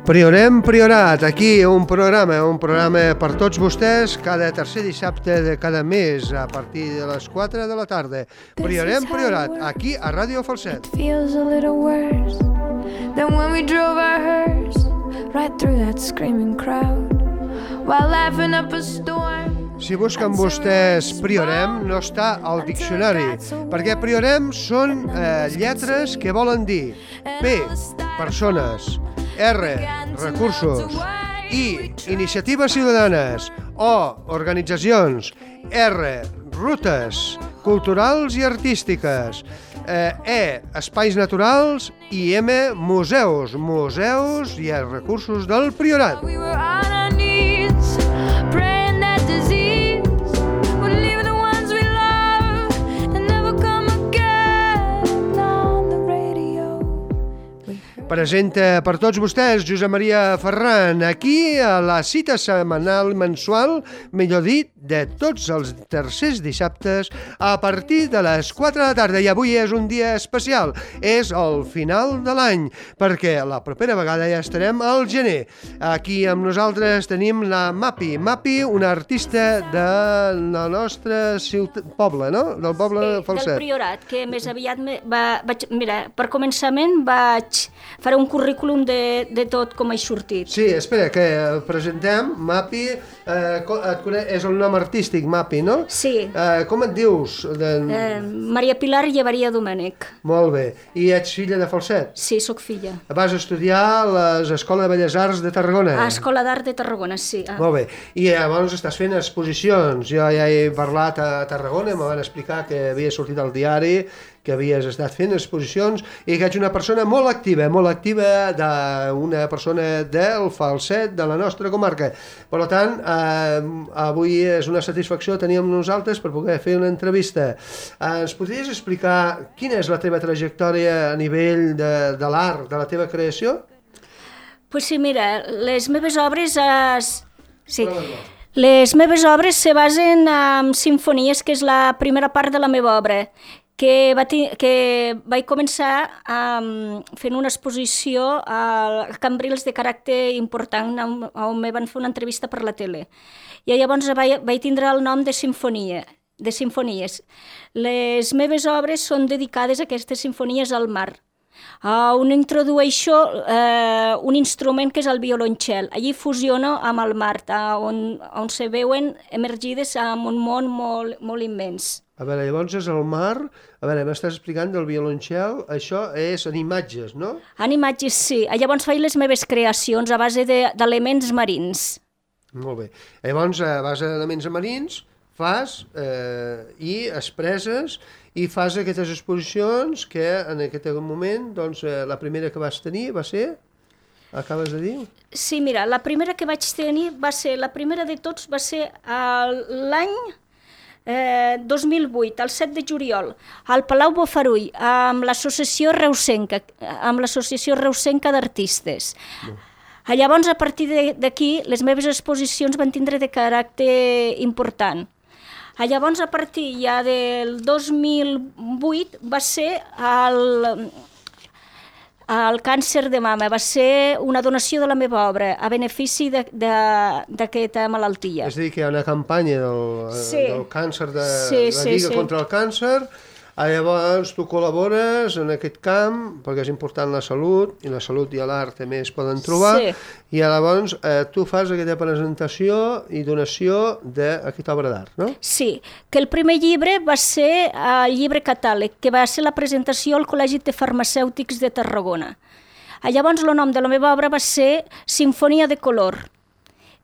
Priorem Priorat, aquí un programa per tots vostès cada tercer dissabte de cada mes a partir de les 4 de la tarda. Priorem Priorat, aquí a Ràdio Falset. It feels a little worse than when we drove our hearse right through that screaming crowd while laughing up a storm. Si busquen vostès Priorem, no està al diccionari, perquè Priorem són lletres que volen dir P, persones, R, recursos, I, iniciatives ciutadanes, O, organitzacions, R, rutes culturals i artístiques, E, espais naturals i M, museus i recursos del Priorat. We were on our knees praying that disease would leave the ones we love and never come again on the radio. Presenta per tots vostès Josep Maria Ferran, aquí a la cita setmanal mensual, millor dit, de tots els tercers dissabtes a partir de les 4 de la tarda. I avui és un dia especial, és el final de l'any, perquè la propera vegada ja estarem al gener. Aquí amb nosaltres tenim la Mapi, una artista del nostre poble, no? Del poble Falset. Del Priorat, que més aviat mira, per començament vaig faré un currículum de tot com he sortit. Sí, espera, que presentem Mapi, és el nom artístic Mapi, no? Sí. Com et dius? Maria Pilar Llevaria Domènech. Molt bé. I ets filla de Falset? Sí, sóc filla. Vas estudiar a l'Escola de Belles Arts de Tarragona? A Escola d'Art de Tarragona, sí. Molt bé. I llavors estàs fent exposicions. Jo ja he parlat a Tarragona, me van explicar que havia sortit al diari, que havies estat fent exposicions i que ets una persona molt activa d'una persona del Falset, de la nostra comarca. Per tant, avui és una satisfacció tenir amb nosaltres per poder fer una entrevista. Ens podries explicar quina és la teva trajectòria a nivell de l'art, de la teva creació? Pues sí, mira, les meves obres... Les meves obres se basen en simfonies, que és la primera part de la meva obra, que vaig començar fent una exposició a Cambrils de caràcter important, on me van fer una entrevista per la tele. I llavors vaig tindre el nom de simfonies. Les meves obres són dedicades a aquestes simfonies al mar, on introdueixo un instrument que és el violoncel. Allí fusiono amb el mar, on se veuen emergides en un món molt immens. A veure, llavors és el mar, a veure, m'estàs explicant del violoncel, això és en imatges, no? En imatges, sí. Llavors faig les meves creacions a base d'elements marins. Molt bé. Llavors, a base d'elements marins, fas i expresses i fas aquestes exposicions que en aquest moment, doncs, la primera que vas tenir va ser, acabes de dir? Sí, mira, la primera que vaig tenir la primera de tots va ser l'any 2008, el 7 de juliol, al Palau Bofarull, amb l'Associació Reusenca d'Artistes. Llavors, a partir d'aquí, les meves exposicions van tindre de caràcter important. Llavors, a partir ja del 2008, va ser el càncer de mama, va ser una donació de la meva obra a benefici d'aquesta malaltia. És a dir, que hi ha una campanya del càncer, de la Lliga contra el Càncer. Llavors tu col·labores en aquest camp perquè és important la salut, i la salut i l'art també es poden trobar, i llavors tu fas aquesta presentació i donació d'aquesta obra d'art, no? Sí, que el primer llibre va ser el llibre catàleg, que va ser la presentació al Col·legi de Farmacèutics de Tarragona. Llavors el nom de la meva obra va ser Sinfonia de Color,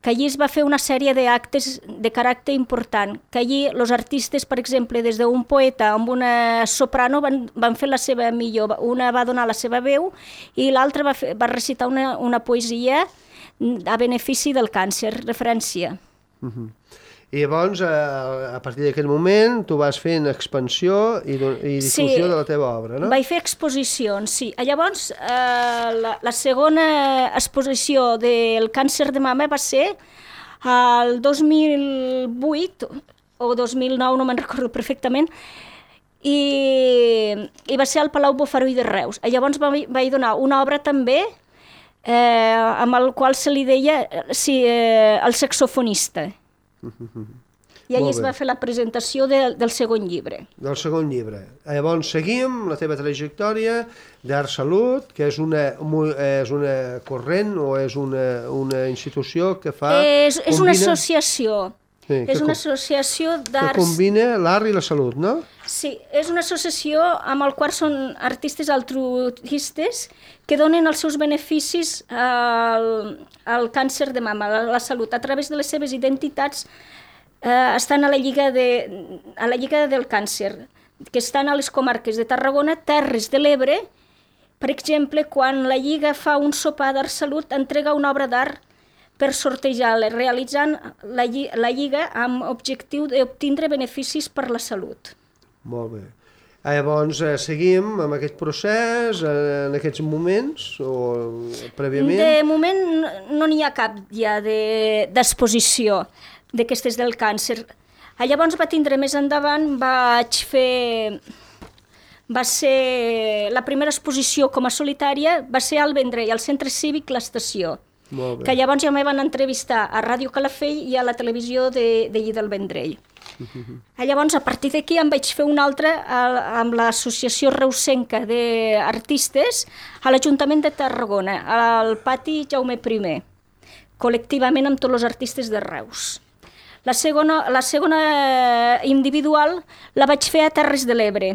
que allí es va fer una sèrie d'actes de caràcter important, que allí els artistes, per exemple, des d'un poeta amb una soprano van fer la seva millor, una va donar la seva veu i l'altra va recitar una poesia a benefici del càncer, referència. I llavors, a partir d'aquest moment, tu vas fent expansió i difusió de la teva obra, no? Vaig fer exposicions, sí. Llavors, la segona exposició del càncer de mama va ser el 2008 o 2009, no me'n recordo perfectament, i va ser al Palau Bofarull de Reus. Llavors vaig donar una obra també amb el qual se li deia el saxofonista. I allà Molt es bé. va fer la presentació del segon llibre. Del segon llibre. Llavors seguim la teva trajectòria d'Art Salut, que és una corrent o és una institució que fa... És una associació. Sí, És una associació que d'arts... combina l'art i la salut, no? Sí, és una associació amb el qual són artistes altruistes que donen els seus beneficis al càncer de mama, a la salut. A través de les seves identitats estan a la Lliga del Càncer, que estan a les comarques de Tarragona, Terres de l'Ebre. Per exemple, quan la Lliga fa un sopar d'Art Salut, entrega una obra d'art per sortejar-la, realitzant la Lliga amb objectiu d'obtindre beneficis per la salut. Molt bé. Llavors seguim amb aquest procés en aquests moments o prèviament? De moment no n'hi ha cap ja d'exposició d'aquestes del càncer. Llavors va tindre més endavant, va ser la primera exposició com a solitària, va ser al Vendrell, al Centre Cívic L'Estació, que llavors ja me van entrevistar a Ràdio Calafell i a la televisió d'allí del Vendrell. Llavors, a partir d'aquí em vaig fer una altra amb l'Associació Reusenca d'Artistes a l'Ajuntament de Tarragona, al pati Jaume I, col·lectivament amb tots els artistes de Reus. La segona individual la vaig fer a Terres de l'Ebre,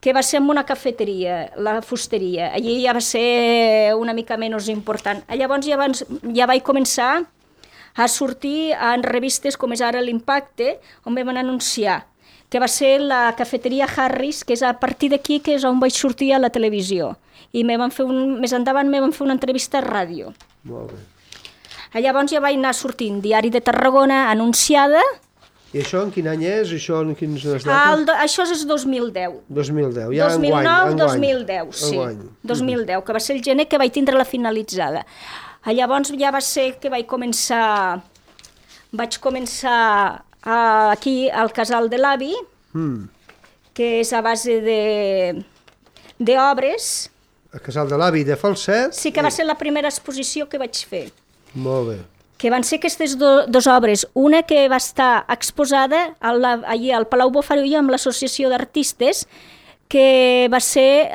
que va ser en una cafeteria, la fusteria. Allí ja va ser una mica menys important. Llavors ja vaig començar a sortir en revistes com és ara l'Impacte, on me van anunciar, que va ser la cafeteria Harris, que és a partir d'aquí que és on vaig sortir a la televisió. I més endavant me van fer una entrevista a ràdio. Molt bé. Llavors ja vaig anar sortint Diari de Tarragona, anunciada. I això en quin any és? Això en quines dates? Això és 2010. 2010, ja 2009-2010, sí. 2010, que va ser el gener que vaig tindre la finalitzada. Llavors ja va ser que vaig començar aquí al Casal de l'Avi, que és a base d'obres. El Casal de l'Avi de Falset? Sí, que va ser la primera exposició que vaig fer. Molt bé. Que van ser aquestes dues obres. Una que va estar exposada allí al Palau Bofarull amb l'Associació d'Artistes, que va ser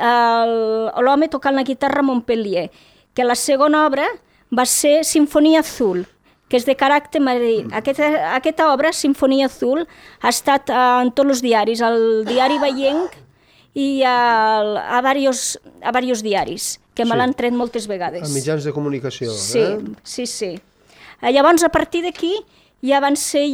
l'home tocant la guitarra a Montpellier. Que la segona obra va ser Sinfonia Azul, que és de caràcter marí. Aquesta obra, Sinfonia Azul, ha estat en tots els diaris, al Diari Vallenc i a diversos diaris, que me l'han tret moltes vegades. A mitjans de comunicació, Sí. Llavors, a partir d'aquí, ja van ser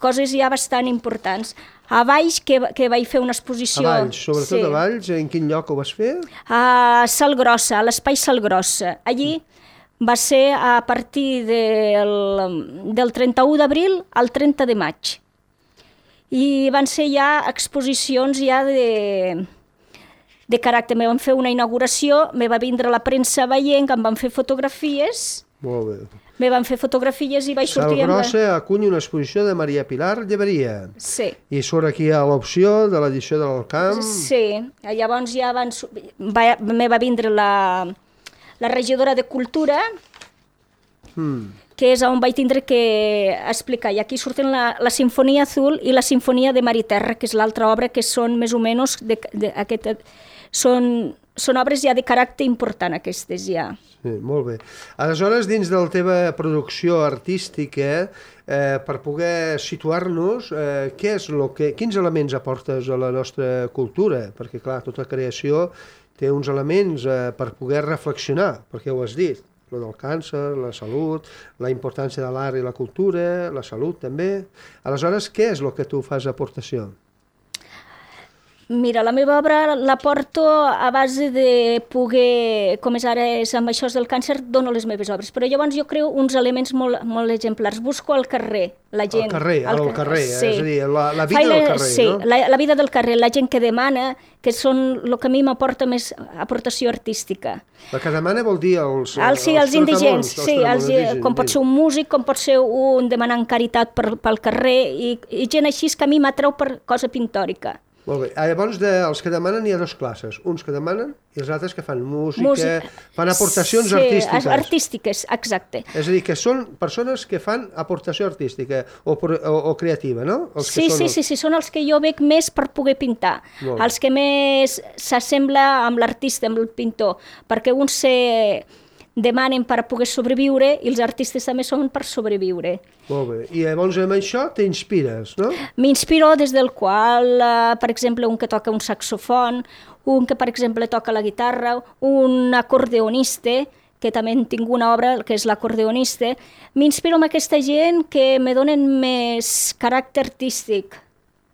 coses ja bastant importants. A Valls, que vaig fer una exposició... A Valls, sobretot a Valls, en quin lloc ho vas fer? A Salgrossa, a l'Espai Salgrossa. Allí va ser a partir del 31 d'abril al 30 de maig. I van ser ja exposicions de caràcter. Me van fer una inauguració, me va vindre la premsa veient, em van fer fotografies. Molt bé. Me van fer fotografies i vaig sortir... Salgrossa acull una exposició de Maria Pilar Lleberia. Sí. I surt aquí a l'opció de l'edició de l'Alcamp. Sí. Llavors ja me va vindre la regidora de Cultura, que és on vaig tindre que explicar. I aquí surten la Sinfonia Azul i la Sinfonia de Mar i Terra, que és l'altra obra, que són més o menys... Són obres ja de caràcter important, aquestes ja. Sí, molt bé. Aleshores, dins de la teva producció artística, per poder situar-nos, quins elements aportes a la nostra cultura? Perquè, clar, tota creació té uns elements per poder reflexionar, perquè ho has dit, el del càncer, la salut, la importància de l'art i la cultura, la salut també. Aleshores, què és el que tu fas aportació? Mira, la meva obra la porto a base de poder, com és ara amb això del càncer, dono les meves obres, però llavors jo creo uns elements molt exemplars. Busco al carrer, la gent... Al carrer, sí. És a dir, la vida del carrer, sí, no? La vida del carrer, la gent que demana, que són el que a mi m'aporta més aportació artística. La que demana vol dir els indigents, com pot ser un músic, com pot ser un demanant caritat pel carrer, i gent així que a mi m'atreu per cosa pintòrica. Molt bé. Llavors, dels que demanen hi ha dues classes. Uns que demanen i els altres que fan música, fan aportacions artístiques. Sí, artístiques, exacte. És a dir, que són persones que fan aportació artística o creativa, no? Sí, són els que jo veig més per poder pintar. Els que més s'assembla amb l'artista, amb el pintor, perquè uns demanen per poder sobreviure i els artistes també són per sobreviure. Molt bé. I llavors amb això t'inspires, no? M'inspiro des del qual, per exemple, un que toca un saxofon, un que, per exemple, toca la guitarra, un acordeonista, que també tinc una obra que és l'acordeonista. M'inspiro en aquesta gent que me donen més caràcter artístic.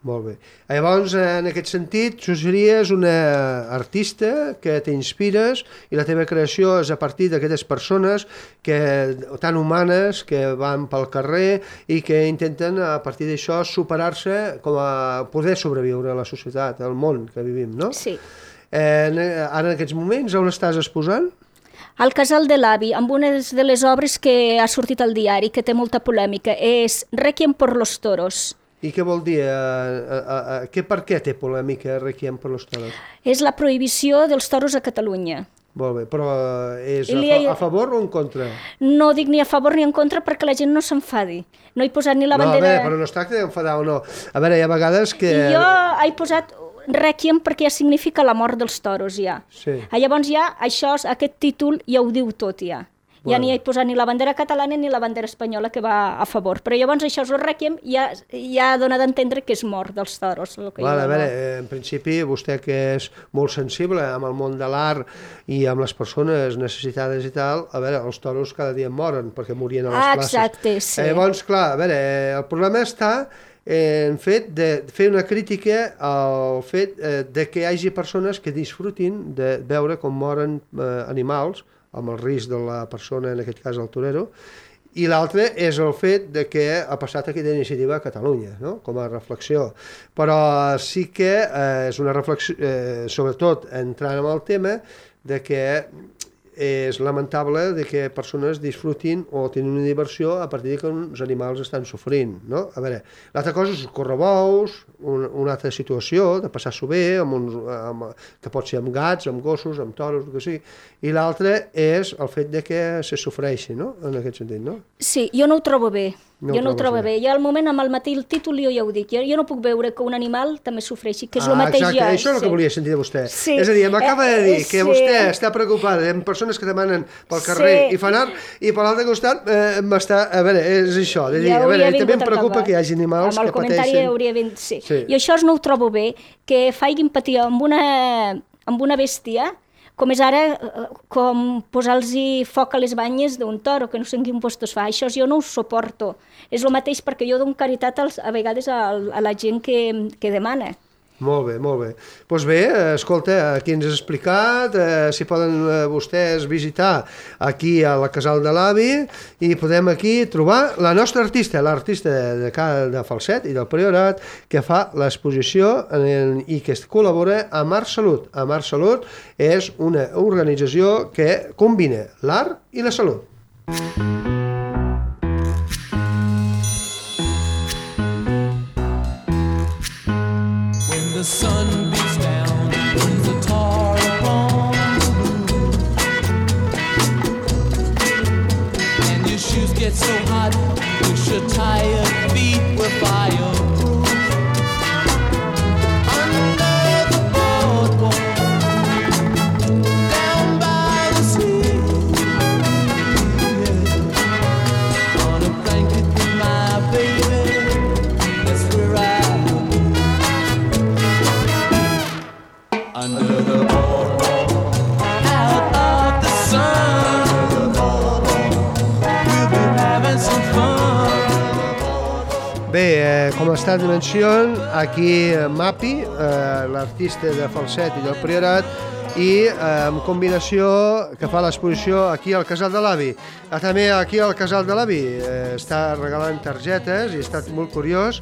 Molt bé. Llavors, en aquest sentit, tu series una artista que t'inspires i la teva creació és a partir d'aquestes persones tan humanes que van pel carrer i que intenten, a partir d'això, superar-se com a poder sobreviure a la societat, al món que vivim, no? Sí. Ara, en aquests moments, on estàs exposant? Al Casal de l'Avi, amb una de les obres que ha sortit al diari, que té molta polèmica, és Requiem por los toros. I què vol dir? Per què té polèmica Requiem por los toros? És la prohibició dels toros a Catalunya. Molt bé, però és a favor o en contra? No dic ni a favor ni en contra perquè la gent no s'enfadi. No he posat ni la bandera... No, a veure, però no es tracta d'enfadar o no. A veure, hi ha vegades que... Jo he posat Requiem perquè ja significa la mort dels toros, ja. Sí. Llavors ja, aquest títol ja ho diu tot, ja. Ja ni he posat ni la bandera catalana ni la bandera espanyola que va a favor. Però llavors això és el Requiem, ja dona d'entendre que és mort dels toros. A veure, en principi, vostè que és molt sensible amb el món de l'art i amb les persones necessitades i tal, a veure, els toros cada dia moren perquè morien a les places. Exacte, sí. Llavors, clar, a veure, el problema està en fet de fer una crítica al fet de que hi hagi persones que disfrutin de veure com moren animals amb el risc de la persona, en aquest cas el torero, i l'altre és el fet de que ha passat aquesta iniciativa a Catalunya, no? Com a reflexió. Però sí que és una reflexió, sobretot entrant en el tema, de que és lamentable de que persones disfrutin o tenen una diversió a partir de que uns animals estan sofrint, no? A veure, l'altra cosa és correbous, una altra situació de passar-s'ho bé, que pot ser amb gats, amb gossos, amb toros, el que sigui, i l'altre és el fet de que se sofreixi, no? En aquest sentit, no? Sí, jo no ho trobo bé. Jo no ho trobo bé. Jo al moment, amb el matí, el títol jo ja ho dic. Jo no puc veure que un animal també sofreixi, que és el mateix exacte. jo. Això és el que volia sentir de vostè. Sí. És a dir, m'acaba de dir que vostè està preocupada amb persones que demanen pel carrer i fan art, i per l'altre costat m'està... A veure, és això. De dir, a veure, també em preocupa que hi hagi animals que pateixen. Amb el comentari hauria vingut... Sí. I això no ho trobo bé, que facin patir amb una bèstia, com és ara, com posar-los foc a les banyes d'un toro, que no sé en quin lloc es fa. Això jo no ho suporto. És el mateix perquè jo dono caritat a vegades a la gent que demana. Molt bé, molt bé. Doncs bé, escolta, aquí ens has explicat, si poden vostès visitar aquí a la Casal de l'Avi i podem aquí trobar la nostra artista, l'artista de Falset i del Priorat, que fa l'exposició i que col·labora amb Art Salut. Amb Art Salut és una organització que combina l'art i la salut. The sun beats down, brings a tar upon the blue. And your shoes get so hot, wish your tired feet were fireproof. Under the boardwalk, down by the sea, yeah. On a blanket with my baby, that's where I under the boardwalk, out of the sun, we'll be having some fun. Bé, com ha estat mencionat, aquí Mapi, l'artista de Falset i del Priorat, i en combinació que fa l'exposició aquí al Casal de l'Avi. També aquí al Casal de l'Avi està regalant targetes i ha estat molt curiós,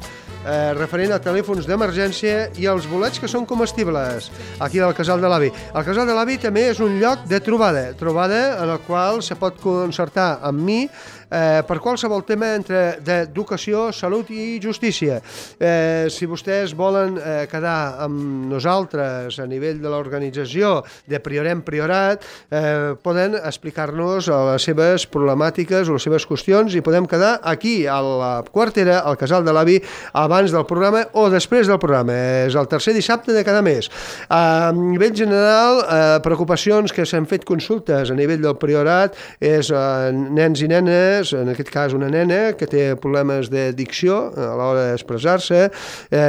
referent a telèfons d'emergència i els bolets que són comestibles aquí al Casal de l'Avi. El Casal de l'Avi també és un lloc de trobada en el qual se pot concertar amb mi per qualsevol tema d'educació, salut i justícia. Si vostès volen quedar amb nosaltres a nivell de l'organització de Priorem Priorat, poden explicar-nos les seves problemàtiques o les seves qüestions i podem quedar aquí a la Quartera, al Casal de l'Avi, abans del programa o després del programa. És el tercer dissabte de cada mes. A nivell general, preocupacions que s'han fet consultes a nivell del Priorat és nens i nenes, en aquest cas una nena que té problemes de dicció a l'hora d'expressar-se,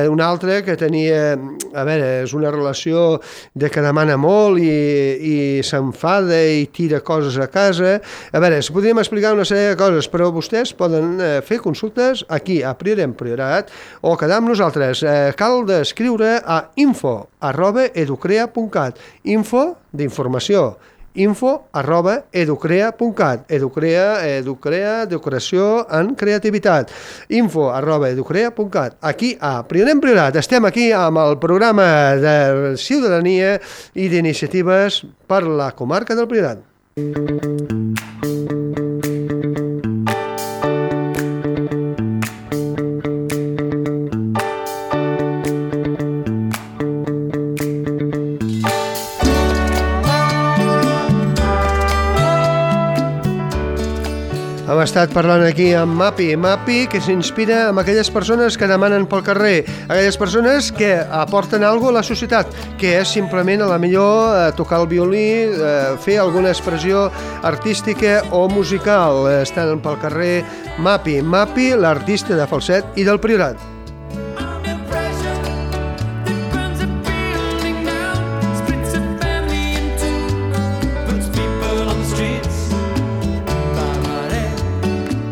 una altra que tenia, a veure, és una relació de que demana molt i s'enfada i tira coses a casa. A veure, si podríem explicar una sèrie de coses, però vostès poden fer consultes aquí a Priorem Priorat o quedar amb nosaltres. Cal d'escriure a info@educrea.cat, info d'informació, info@educrea.cat, educrea, decoració en creativitat, info@educrea.cat. Aquí a Priorem Priorat estem aquí amb el programa de ciutadania i d'iniciatives per la comarca del Priorat. Hem estat parlant aquí amb Mapi, que s'inspira amb aquelles persones que demanen pel carrer, aquelles persones que aporten alguna cosa a la societat, que és simplement a la millor tocar el violí, fer alguna expressió artística o musical. Estan pel carrer Mapi, l'artista de falset i del Priorat.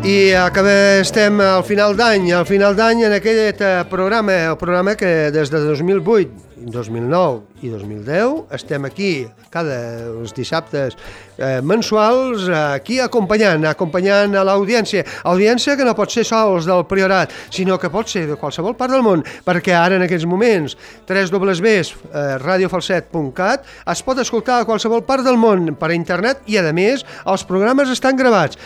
I estem al final d'any en aquest programa, el programa que des de 2008, 2009 i 2010 estem aquí cada els dissabtes mensuals aquí acompanyant a l'audiència que no pot ser sols del Priorat, sinó que pot ser de qualsevol part del món, perquè ara en aquests moments www.radiofalset.cat es pot escoltar a qualsevol part del món per internet i a més els programes estan gravats,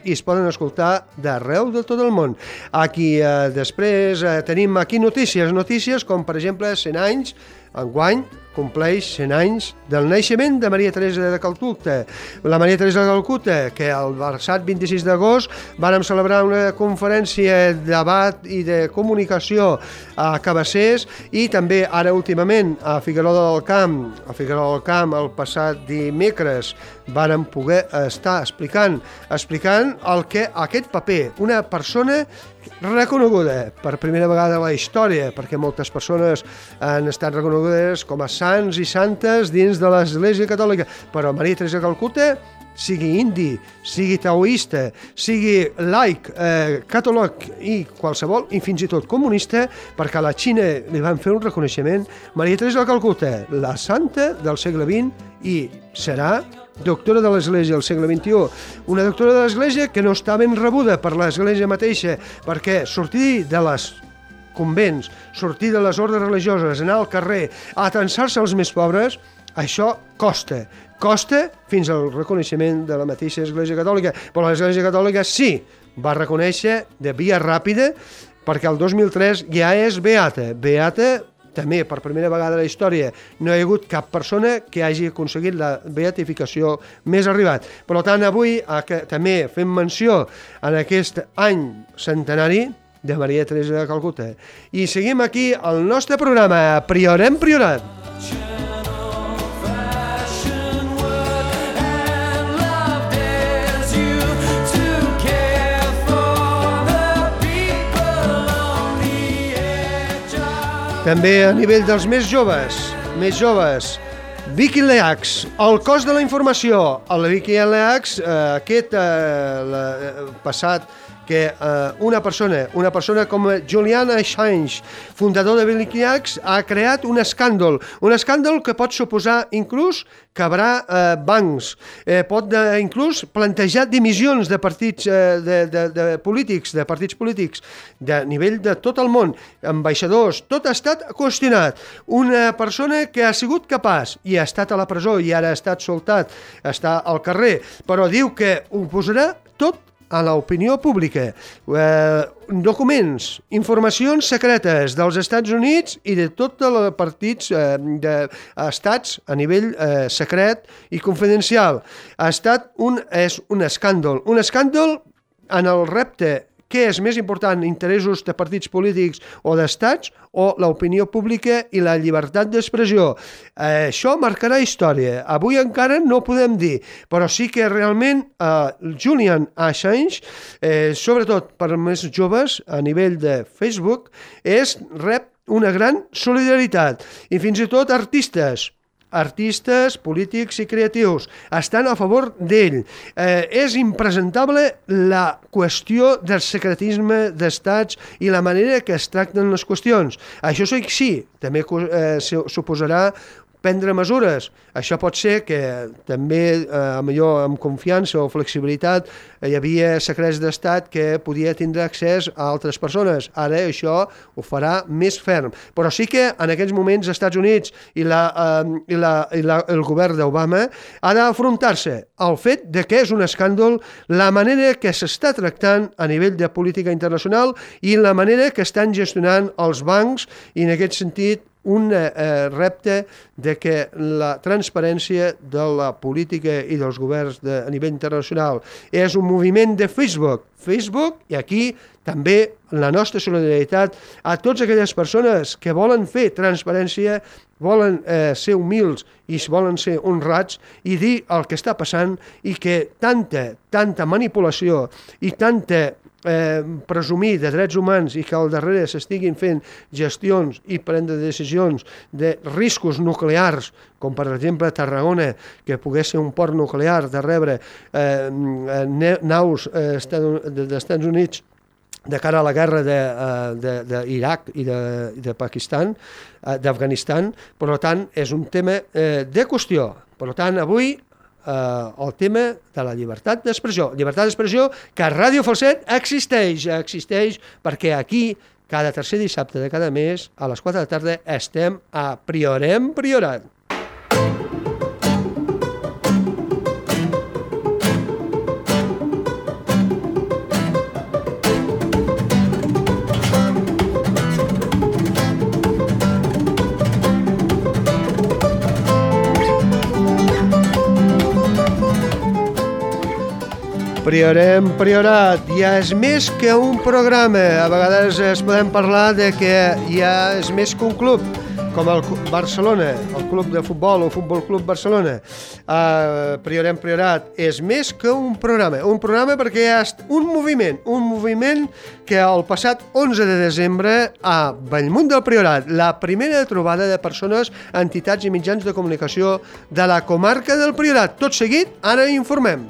i es poden escoltar d'arreu de tot el món. Aquí després tenim aquí notícies com per exemple 100 anys, enguany compleix 100 anys del naixement de Maria Teresa de Calcuta. La Maria Teresa de Calcuta, que el passat 26 d'agost vàrem celebrar una conferència de debat i de comunicació a Cabassers i també ara últimament a Figuerola del Camp. A Figuerola del Camp el passat dimecres vàrem poder estar explicant el que aquest paper, una persona reconeguda per primera vegada a la història, perquè moltes persones han estat reconegudes com a sants i santes dins de l'Església Catòlica, però Maria Teresa de Calcuta, sigui indi, sigui taoista, sigui laic, catòlic i qualsevol, i fins i tot comunista, perquè a la Xina li van fer un reconeixement, Maria Teresa de Calcuta, la santa del segle XX, i serà doctora de l'Església del segle XXI, una doctora de l'Església que no està ben rebuda per l'Església mateixa, perquè sortir de les convents, sortir de les ordres religioses, anar al carrer, atensar-se als més pobres, això costa fins al reconeixement de la mateixa Església Catòlica, però l'Església Catòlica sí va reconèixer de via ràpida, perquè el 2003 ja és beata també per primera vegada a la història no hi ha hagut cap persona que hagi aconseguit la beatificació més arribat. Per tant, avui també fem menció en aquest any centenari de Maria Teresa de Calcuta. I seguim aquí el nostre programa Priorem Priorat. També a nivell dels més joves, Vicky Leax, el cos de la informació. El Vicky Leax, aquest passat que una persona com Julian Assange, fundador de Wikileaks, ha creat un escàndol que pot suposar inclús quebrar bancs, pot inclús plantejar dimissions de partits polítics de nivell de tot el món, ambaixadors, tot ha estat qüestionat. Una persona que ha sigut capaç i ha estat a la presó i ara ha estat soltat, està al carrer, però diu que ho posarà tot a l'opinió pública. Documents, informacions secretes dels Estats Units i de tots els partits d'estats a nivell secret i confidencial. És un escàndol. Un escàndol en el repte què és més important, interessos de partits polítics o d'estats o l'opinió pública i la llibertat d'expressió. Això marcarà història. Avui encara no podem dir, però sí que realment Julian Assange, sobretot per més joves a nivell de Facebook, rep una gran solidaritat i fins i tot artistes, polítics i creatius estan a favor d'ell. És impresentable la qüestió del secretisme d'estats i la manera que es tracten les qüestions. Això sí, també suposarà prendre mesures. Això pot ser que també, millor amb confiança o flexibilitat, hi havia secrets d'estat que podia tindre accés a altres persones. Ara això ho farà més ferm. Però sí que en aquests moments els Estats Units i el govern d'Obama ha d'afrontar-se al fet de que és un escàndol la manera que s'està tractant a nivell de política internacional i la manera que estan gestionant els bancs i en aquest sentit un repte de que la transparència de la política i dels governs a nivell internacional és un moviment de Facebook, i aquí també la nostra solidaritat a totes aquelles persones que volen fer transparència, volen ser humils i volen ser honrats i dir el que està passant i que tanta manipulació i tanta presumir de drets humans i que al darrere s'estiguin fent gestions i prendre decisions de riscos nuclears, com per exemple a Tarragona, que pogués ser un port nuclear de rebre naus dels Estats Units de cara a la guerra d'Iraq i de Pakistan, d'Afganistan. Per tant, és un tema de qüestió. Per tant, avui el tema de la llibertat d'expressió. Llibertat d'expressió que a Ràdio Falset existeix perquè aquí, cada tercer dissabte de cada mes, a les 4 de la tarda, estem a Priorem Priorat. Priorem Priorat, ja és més que un programa. A vegades es podem parlar de que ja és més que un club, com el Barcelona, el club de futbol o Futbol Club Barcelona. Priorem Priorat és més que un programa perquè hi ha un moviment que el passat 11 de desembre a Bellmunt del Priorat, la primera trobada de persones, entitats i mitjans de comunicació de la comarca del Priorat. Tot seguit, ara informem.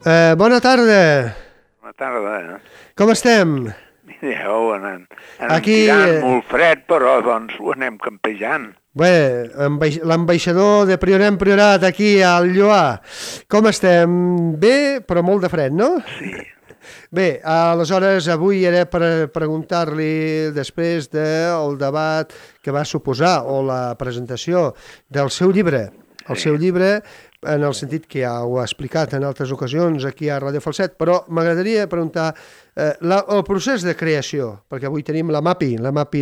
Bona tarda. Bona tarda. Com estem? Mireu, anem Aquí, tirant molt fred, però doncs ho anem campejant. Bé, l'ambaixador de Priorat en Priorat aquí al Lloar. Com estem? Bé, però molt de fred, no? Sí. Bé, aleshores avui era per preguntar-li després del debat que va suposar o la presentació del seu llibre. El seu llibre, en el sentit que ja ho ha explicat en altres ocasions aquí a Ràdio Falset, però m'agradaria preguntar el procés de creació, perquè avui tenim la Mapi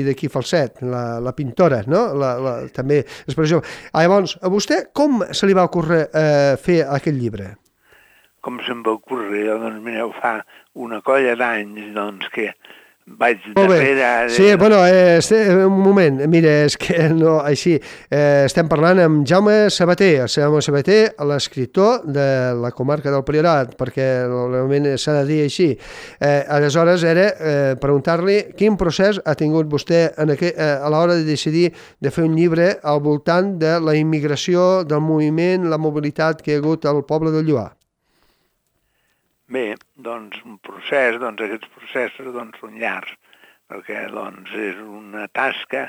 d'aquí Falset, la pintora, no? També expressió. Llavors, a vostè com se li va ocórrer fer aquest llibre? Com se'm va ocórrer, doncs mireu, fa una colla d'anys doncs, que vaig darrere... Sí, bueno, un moment, mira, és que no, així, estem parlant amb Jaume Sabater, l'escriptor de la comarca del Priorat, perquè realment s'ha de dir així. Aleshores era preguntar-li quin procés ha tingut vostè a l'hora de decidir de fer un llibre al voltant de la immigració, del moviment, la mobilitat que hi ha hagut al poble del Lloar. Bé, doncs un procés, doncs aquests processos doncs, són llargs, perquè doncs, és una tasca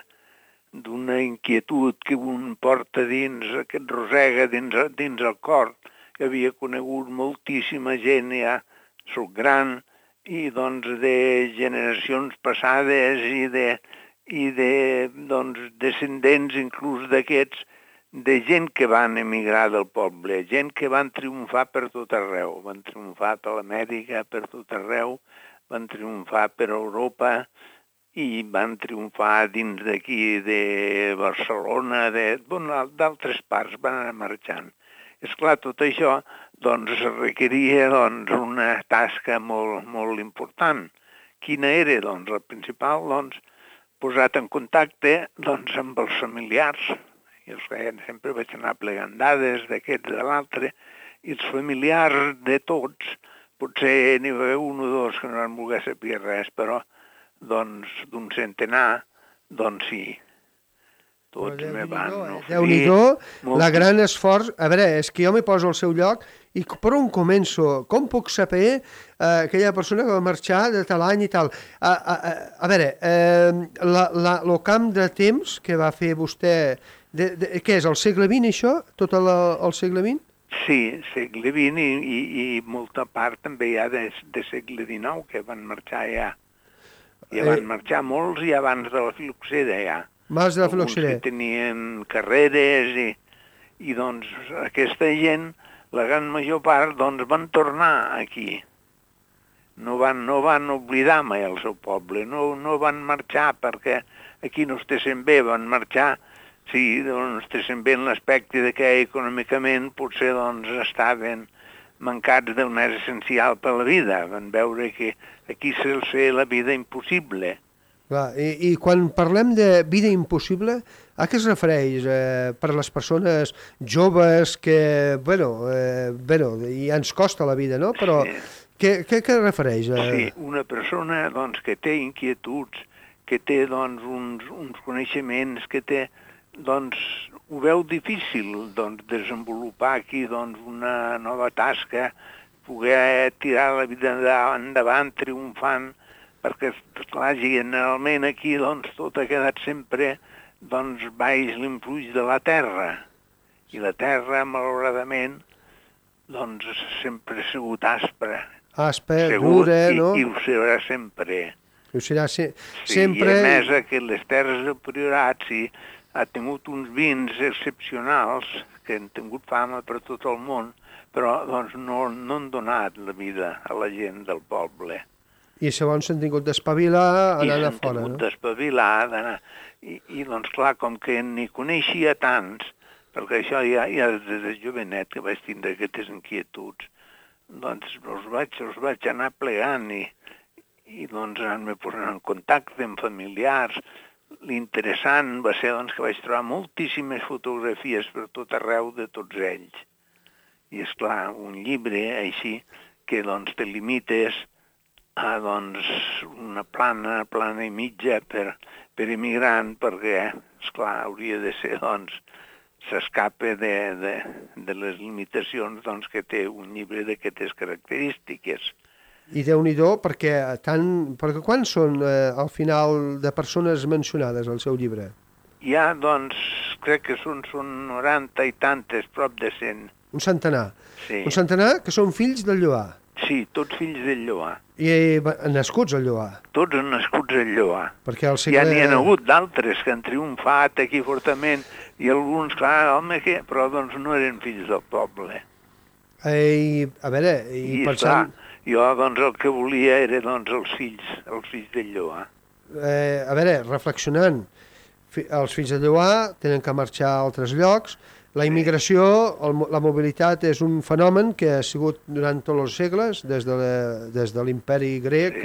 d'una inquietud que un porta dins, que et rosega dins el cor, que havia conegut moltíssima gent, ja soc gran, i doncs de generacions passades i de doncs, descendents inclús d'aquests, de gent que van emigrar del poble, gent que van triomfar per tot arreu, van triomfar per l'Amèrica, per tot arreu, van triomfar per Europa i van triomfar dins d'aquí de Barcelona, d'altres parts, van anar marxant. Esclar, tot això doncs, requeria doncs, una tasca molt, molt important. Quina era? Doncs, la principal, doncs, posat en contacte doncs, amb els familiars. I els feien, sempre vaig anar plegant dades d'aquests de l'altre, i els familiars de tots, potser n'hi va haver un o dos que no van voler saber res, però doncs d'un centenar, doncs sí, tots me van oferir. Déu-n'hi-do, la gran esforç. A veure, és que jo m'hi poso al seu lloc i per on començo? Com puc saber aquella persona que va marxar de tal any i tal? A veure, el camp de temps que va fer vostè, què és, el segle XX això? Tot el segle XX? Sí, segle XX i molta part també hi ha de segle XIX que van marxar ja. Ja van marxar molts i abans de la filoxera ja. Abans de la filoxera. Alguns que tenien carreres i doncs aquesta gent, la gran major part, doncs van tornar aquí. No van oblidar mai el seu poble, no van marxar perquè aquí no estessin bé, van marxar. Sí, doncs estessin bé en l'aspecte que econòmicament potser doncs, estaven mancats del més essencial per la vida. Van veure que aquí se'ls feia la vida impossible. Clar, i quan parlem de vida impossible, a què es refereix? Per les persones joves que, bueno, ja ens costa la vida, no? Però sí. Què refereix? Sí, una persona doncs, que té inquietuds, que té doncs, uns coneixements, que té... doncs ho veu difícil doncs, desenvolupar aquí doncs, una nova tasca, poder tirar la vida endavant triomfant, perquè clar, generalment aquí doncs, tot ha quedat sempre doncs, baix l'influix de la terra. I la terra, malauradament, doncs, sempre ha sigut aspra. Dura, no? I ho serà sempre. Ho serà sempre. I a més que les terres del Priorat, sí, ha tingut uns vins excepcionals que han tingut fama per tot el món, però doncs, no han donat la vida a la gent del poble. I segons s'han tingut d'espavilar anant a fora, no? I s'han tingut d'espavilar, d'anar... I doncs clar, com que n'hi coneixia tants, perquè això ja des de jovenet que vaig tindre aquestes inquietuds, doncs els vaig anar plegant i doncs anar-me posant en contacte amb familiars. L'interessant va ser doncs, que vaig trobar moltíssimes fotografies per tot arreu de tots ells. I esclar, un llibre així que doncs, te limites a doncs, una plana i mitja per immigrant, perquè, esclar, hauria de ser doncs, s'escapa de les limitacions doncs, que té un llibre d'aquestes característiques. I Déu-n'hi-do, perquè quants són al final de persones mencionades al seu llibre? Hi ha, doncs, crec que són 90 i tantes, prop de 100. Un centenar. Sí. Un centenar que són fills del Lloar. Sí, tots fills del Lloar. I nascuts al Lloar. Tots nascuts al Lloar. Perquè al Ja n'hi ha hagut d'altres que han triomfat aquí fortament i alguns, clar, home, però doncs no eren fills del poble. A veure, i pensant... Clar, jo doncs el que volia era doncs els fills del Lloar. A veure, reflexionant, els fills de Lloar tenen que marxar a altres llocs. La immigració, la mobilitat és un fenomen que ha sigut durant tots els segles, des de l'imperi grec,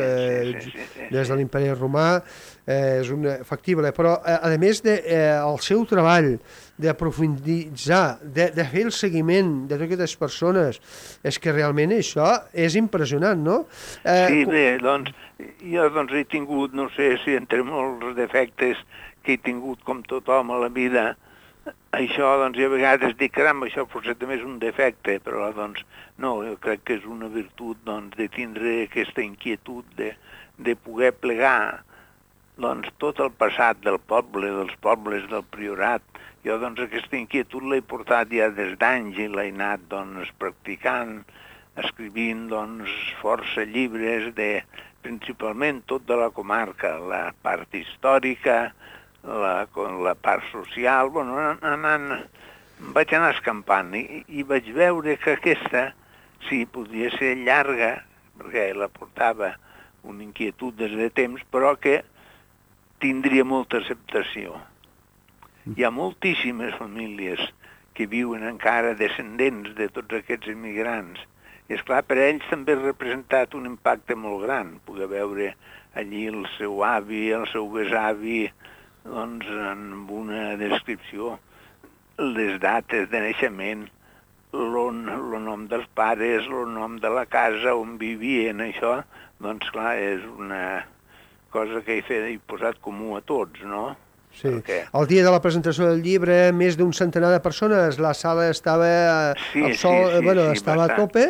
des de l'imperi romà, és factible. Però, a més del seu treball d'aprofunditzar, de fer el seguiment de totes aquestes persones, és que realment això és impressionant, no? Sí, bé, doncs, jo he tingut, no sé si entre molts defectes que he tingut com tothom a la vida, això, doncs, a vegades dic, caram, això potser també és un defecte, però, doncs, no, jo crec que és una virtut, doncs, de tindre aquesta inquietud de poder plegar, doncs, tot el passat del poble, dels pobles del priorat. Jo, doncs, aquesta inquietud l'he portat ja des d'anys i l'he anat, doncs, practicant, escrivint, doncs, força llibres principalment tot de la comarca, la part històrica, la part social, bueno, vaig anar escampant i vaig veure que aquesta, sí, podia ser llarga, perquè la portava una inquietud des de temps, però que tindria molta acceptació. Hi ha moltíssimes famílies que viuen encara descendents de tots aquests immigrants. I, esclar, per a ells també ha representat un impacte molt gran, poder veure allí el seu avi, el seu besavi, doncs, amb una descripció, les dates de naixement, el nom dels pares, el nom de la casa on vivien, això, doncs, clar, és una cosa que he posat comú a tots, no? Sí. El dia de la presentació del llibre, més d'un centenar de persones, la sala estava estava a tope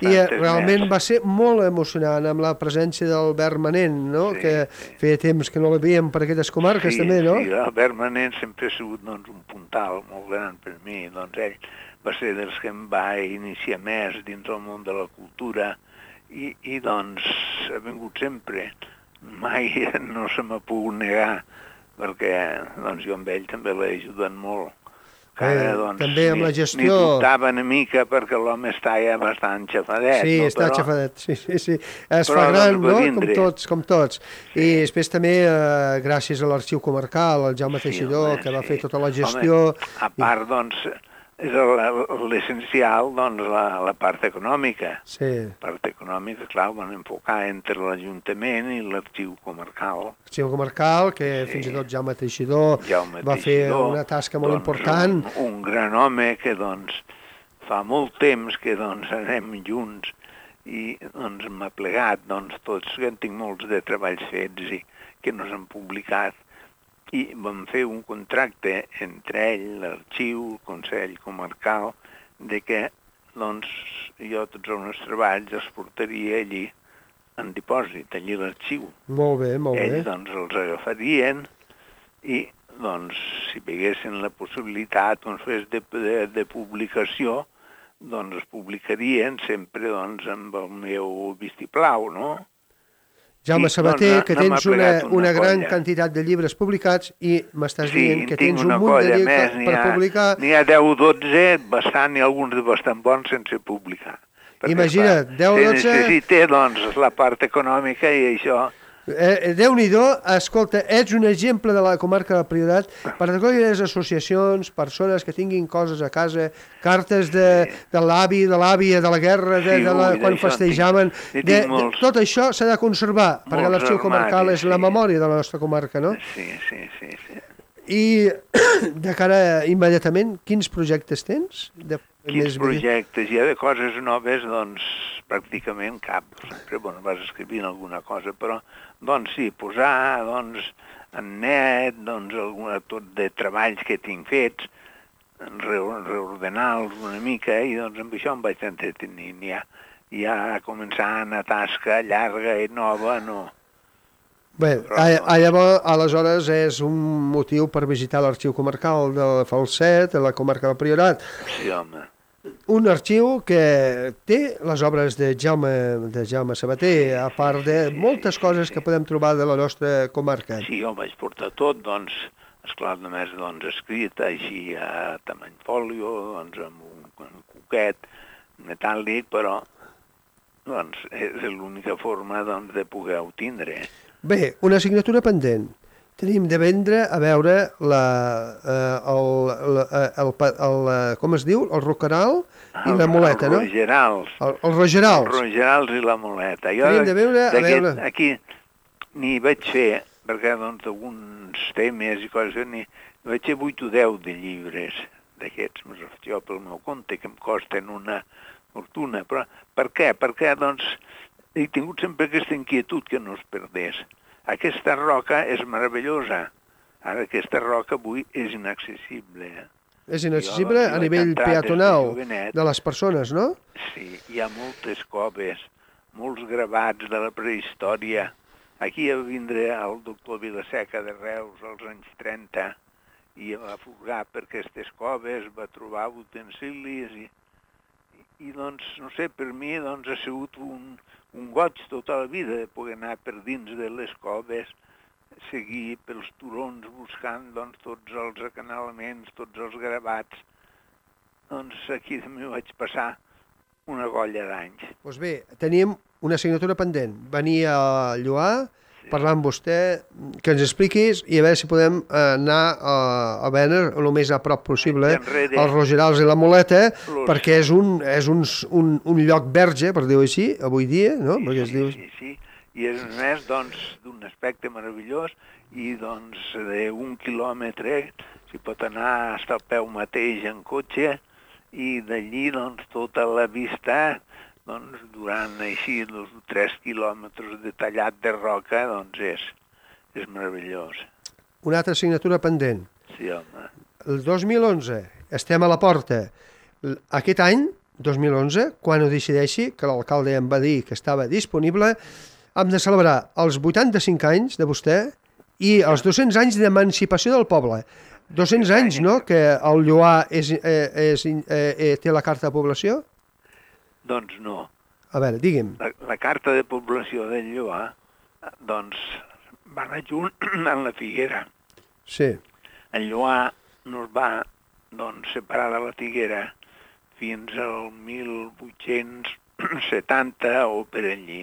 i realment va ser molt emocionant amb la presència d'Albert Manent, no? Que feia temps que no l'havíem per aquestes comarques també, no? Sí, Albert Manent sempre ha sigut doncs, un puntal molt gran per mi, doncs ell va ser dels que em va iniciar més dins del món de la cultura i doncs ha vingut sempre, mai no se m'ha pogut negar, perquè doncs, jo amb ell també l'he ajudat molt. Doncs, també amb la gestió... N'hi dubtava una mica perquè l'home està ja bastant xafadet. Sí, no? està xafadet, sí. Es fa gran, no? Com tots. Sí. I després també, gràcies a l'Arxiu Comarcal, el Jaume Teixidor, que va fer tota la gestió... Home, a part, doncs, és l'essencial, doncs, la part econòmica. Sí. La part econòmica, clar, van enfocar entre l'Ajuntament i l'Arxiu Comarcal. L'Arxiu Comarcal, que fins i tot Jaume Teixidor va fer una tasca molt important. Un gran home que, doncs, fa molt temps que, doncs, anem junts i, doncs, m'ha plegat, doncs, tots, que en tinc molts de treballs fets i que no s'han publicat. I vam fer un contracte entre ell, l'arxiu, el Consell Comarcal, de que doncs, jo tots els meus treballs els portaria allí en dipòsit, allí a l'arxiu. Molt bé, molt bé. Ells doncs, els agafarien i doncs, si veguessin la possibilitat doncs, de publicació, doncs es publicarien sempre doncs, amb el meu vistiplau, no? Jaume Sabater, que tens una gran quantitat de llibres publicats i m'estàs dient que tens un munt de llibres per publicar. N'hi ha 10 o 12, bastant, i alguns de bastant bons sense publicar. Imagina't, 10 o 12... Se necessita, doncs, la part econòmica i això... Déu-n'hi-do, escolta, ets un exemple de la comarca del Priorat per a aquelles associacions, persones que tinguin coses a casa, cartes de l'avi, de l'àvia, de la guerra, quan festejaven, tot això s'ha de conservar, perquè l'Arxiu Comarcal és la memòria de la nostra comarca, no? Sí. I de cara immediatament, quins projectes tens? Quins projectes? Hi ha de coses noves, doncs, pràcticament cap. Sempre, bueno, vas escrivint alguna cosa, però, doncs, sí, posar, doncs, en net, doncs, tot de treballs que tinc fets, reordenar-los una mica i doncs amb això em vaig entretenint. Ja començar una tasca llarga i nova, no. Bé, llavors, aleshores és un motiu per visitar l'arxiu comarcal de Falset, de la comarca del Priorat. Sí, home. Un arxiu que té les obres de Jaume Sabater, a part de moltes coses que podem trobar de la nostra comarca. Sí, jo vaig portar tot, doncs, esclar, només escrit així a tamany fòlio, doncs amb un coquet metàl·lic, però doncs, és l'única forma doncs, de poder-ho tindre. Bé, una assignatura pendent. Tenim de vendre, a veure, com es diu? El roqueral i la muleta, no? Els rogerals. Els rogerals. Els rogerals i la muleta. Jo Tenim de veure, a veure... Aquí n'hi vaig fer, perquè doncs alguns temes i coses, n'hi vaig fer 8 o 10 de llibres d'aquests, més jo pel meu compte, que em costen una fortuna. Però per què? Perquè doncs he tingut sempre aquesta inquietud que no es perdés. Aquesta roca és meravellosa. Ara aquesta roca avui és inaccessible. És inaccessible a nivell peatonal de les persones, no? Sí, hi ha moltes coves, molts gravats de la prehistòria. Aquí va vindre el doctor Vilaseca de Reus als anys 30 i va furgar per aquestes coves, va trobar utensilis i doncs, no sé, per mi doncs, ha sigut un goig tota la vida de poder anar per dins de les coves, seguir pels turons buscant doncs, tots els acanalaments, tots els gravats. Doncs aquí també vaig passar una colla d'anys. Doncs bé, tenim una assignatura pendent. Venir a Lloar, parlar amb vostè, que ens expliquis i a veure si podem anar a veure el més a prop possible els rogerals i la muleta, perquè és un lloc verge, per dir-ho així, avui dia, no? Sí. I és més, doncs, d'un aspecte meravellós i, doncs, d'un quilòmetre s'hi pot anar fins al peu mateix en cotxe i d'allí, doncs, tota la vista, doncs, durant així 3 quilòmetres de tallat de roca, doncs és meravellós. Una altra assignatura pendent. Sí, home. El 2011, estem a la porta. Aquest any, 2011, quan ho decideixi, que l'alcalde em va dir que estava disponible, hem de celebrar els 85 anys de vostè i els 200 anys d'emancipació del poble. 200 anys, no?, que el Lloar té la carta de població? Doncs no. A veure, digue'm. La carta de població del Lloar, doncs, va anar junt amb la Figuera. Sí. El Lloar no es va, doncs, separar de la Figuera fins al 1870 o per allí.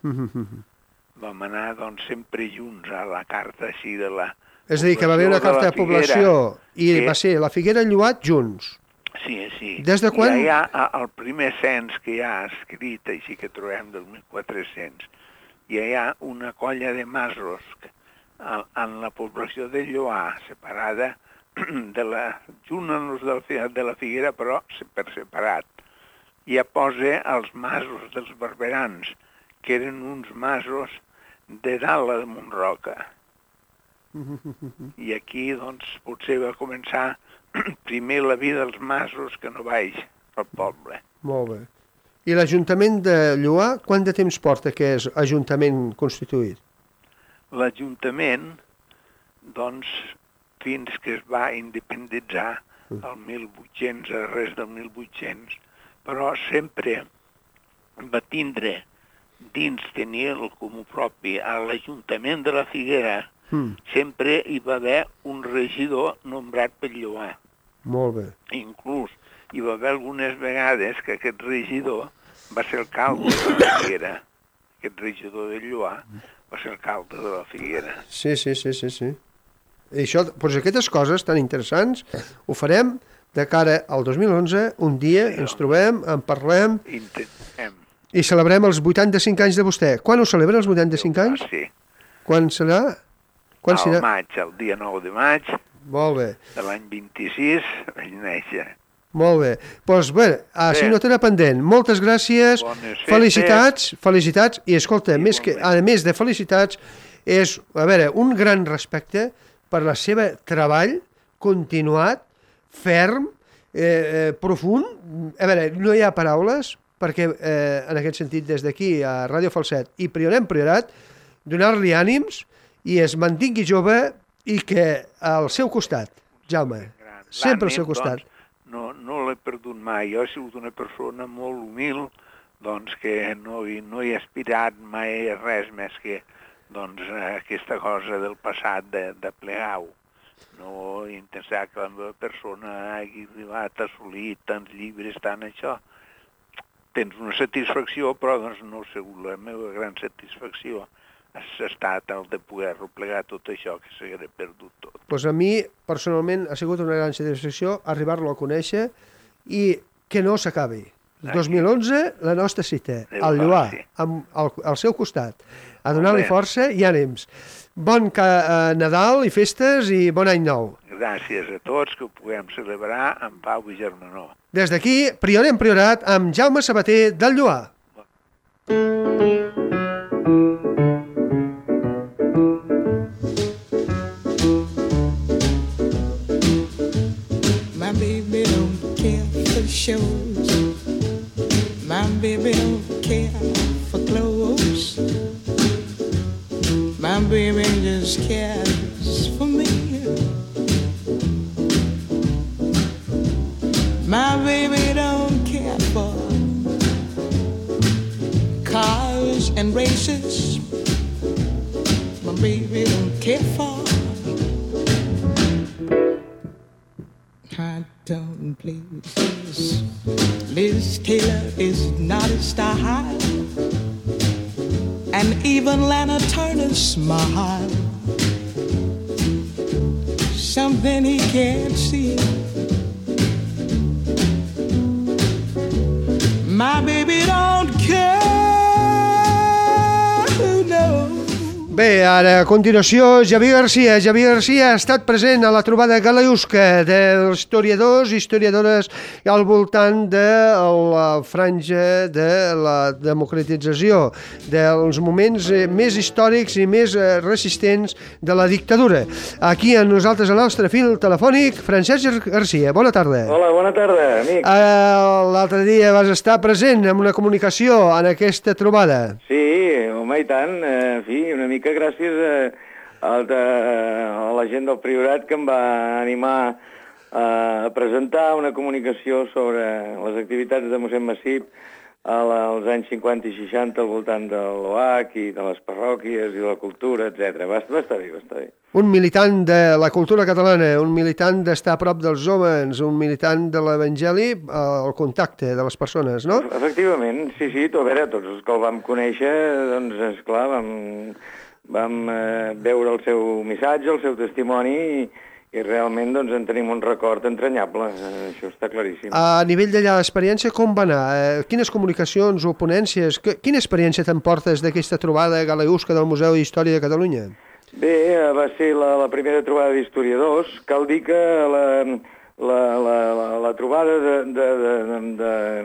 Vam anar, doncs, sempre junts a la carta així de la... És a dir, que va haver una carta de població i va ser la Figuera i Lloar junts. Sí. Des de quan? I hi ha el primer cens que hi ha escrit, així que trobem del 1400, i hi ha una colla de masos en la població de Lloar, separada junt de la Figuera, però per separat. I ja posa els masos dels barberans, que eren uns masos de dalt de Montroca. I aquí, doncs, potser va començar primer la vida dels masos que no baix al poble. Molt bé. I l'Ajuntament de Lloar, quant de temps porta que és ajuntament constituït? L'Ajuntament, doncs, fins que es va independitzar el 1800, res del 1800, però sempre va tindre dins tenir el comú propi a l'Ajuntament de la Figuera, sempre hi va haver un regidor nombrat per Lloar. Molt bé. Inclús hi va haver algunes vegades que aquest regidor va ser alcalde de la Figuera. Aquest regidor de Lloar va ser alcalde de la Figuera. Sí. I això, doncs aquestes coses tan interessants ho farem de cara al 2011, un dia ens trobem, en parlem... Intentem. I celebrem els 85 anys de vostè. Quan ho celebren, els 85 anys? Sí. Quan serà? Al maig, el dia 9 de maig. Molt bé. De l'any 26 vaig néixer. Molt bé. Doncs bé, assignatura pendent. Moltes gràcies. Bones felicitats. I escolta, a més de felicitats, és, a veure, un gran respecte per la seva treball continuat, ferm, profund. A veure, no hi ha paraules, perquè en aquest sentit des d'aquí a Ràdio Falset i Priorat, donar-li ànims i es mantingui jove i que al seu costat, Jaume, sempre al seu costat. Doncs, no l'he perdut mai. Jo he sigut una persona molt humil, doncs que no he aspirat mai a res més que doncs, aquesta cosa del passat de plegar-ho. No intentar que la meva persona hagi arribat a assolir tants llibres, tant això. Tens una satisfacció, però doncs, no ha sigut la meva gran satisfacció. Ha estat el de poder replegar tot això que s'hagués perdut tot. Pues a mi, personalment, ha sigut una gran satisfacció arribar-lo a conèixer i que no s'acabi. El 2011, la nostra cita, al Lloar, al seu costat, a donar-li força i ànims. Bon Nadal i festes i bon any nou. Gràcies a tots, que ho puguem celebrar amb pau i germanor. Des d'aquí, Priorat, amb Jaume Sabater del Lloar. My baby don't care for shows. My baby don't care for clothes. My baby just cares for me. My baby don't care for cars and races. My baby don't care for high tone places. Liz Taylor is not a style, and even Lana Turner's smile, something he can't see. My baby don't care, no. Bé, ara, a continuació, Javier Garcia. Javier Garcia ha estat present a la trobada galaiusca dels historiadors i historiadores al voltant de la franja de la democratització, dels moments més històrics i més resistents de la dictadura. Aquí amb nosaltres, al nostre fil telefònic, Francesc Garcia. Bona tarda. Hola, bona tarda, amic. L'altre dia vas estar present en una comunicació en aquesta trobada. Sí, home, i tant. En fi, una mica gràcies a la gent del Priorat que em va animar a presentar una comunicació sobre les activitats de mossèn Massip als anys 50 i 60 al voltant de l'OAC i de les parròquies i de la cultura, etc. Va estar bé, va estar bé. Un militant de la cultura catalana, un militant d'estar a prop dels homes, un militant de l'Evangeli al contacte de les persones, no? Efectivament, sí, a veure, tots els que el vam conèixer, doncs, esclar, vam veure el seu missatge, el seu testimoni i realment doncs, en tenim un record entranyable, això està claríssim. A nivell d'allà d'experiència, com va anar? Quines comunicacions o ponències? Quina experiència t'emportes d'aquesta trobada galaiusca del Museu d'Història de Catalunya? Bé, va ser la primera trobada d'historiadors. Cal dir que la trobada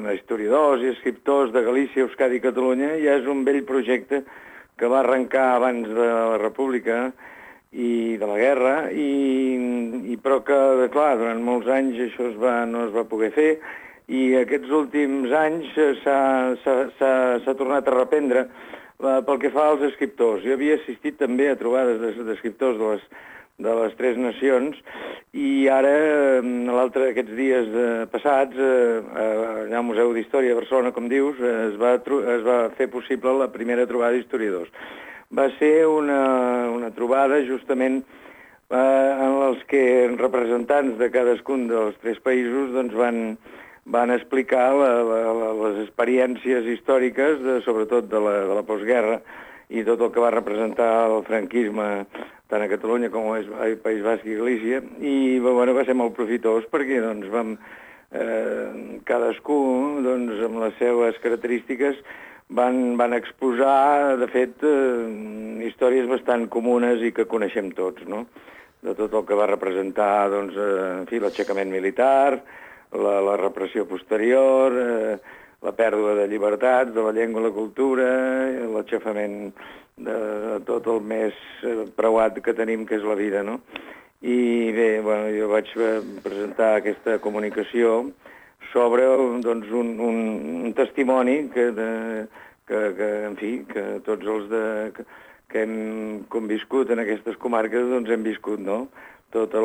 d'historiadors i escriptors de Galícia, Euskadi i Catalunya ja és un vell projecte que va arrencar abans de la República i de la guerra, però que, clar, durant molts anys això no es va poder fer i aquests últims anys s'ha tornat a reprendre pel que fa als escriptors. Jo havia assistit també a trobades d'escriptors de les tres nacions i ara, aquests dies passats, allà al Museu d'Història de Barcelona, com dius, es va fer possible la primera trobada d'historiadors. Va ser una trobada justament en els que representants de cadascun dels tres països doncs, van explicar les experiències històriques, sobretot de la postguerra, i tot el que va representar el franquisme tant a Catalunya com al País Basc i Galícia, i bueno, va ser molt profitós perquè doncs, cadascú doncs, amb les seves característiques van exposar, de fet, històries bastant comunes i que coneixem tots, no? De tot el que va representar doncs, en fi, l'aixecament militar, la repressió posterior, la pèrdua de llibertats, de la llengua i la cultura, l'aixafament de tot el més preuat que tenim, que és la vida, no? I bé, bueno, jo vaig presentar aquesta comunicació sobre doncs, un testimoni que en fi, que tots els que hem conviscut en aquestes comarques doncs hem viscut, no? Tota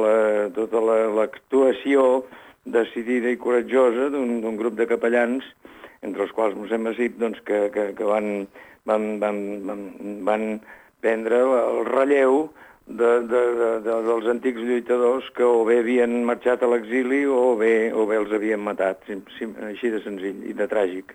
l'actuació decidida i coratjosa d'un grup de capellans, entre els quals mossèn Masip, doncs, que van prendre el relleu dels antics lluitadors que o bé havien marxat a l'exili o bé els havien matat, així de senzill i de tràgic.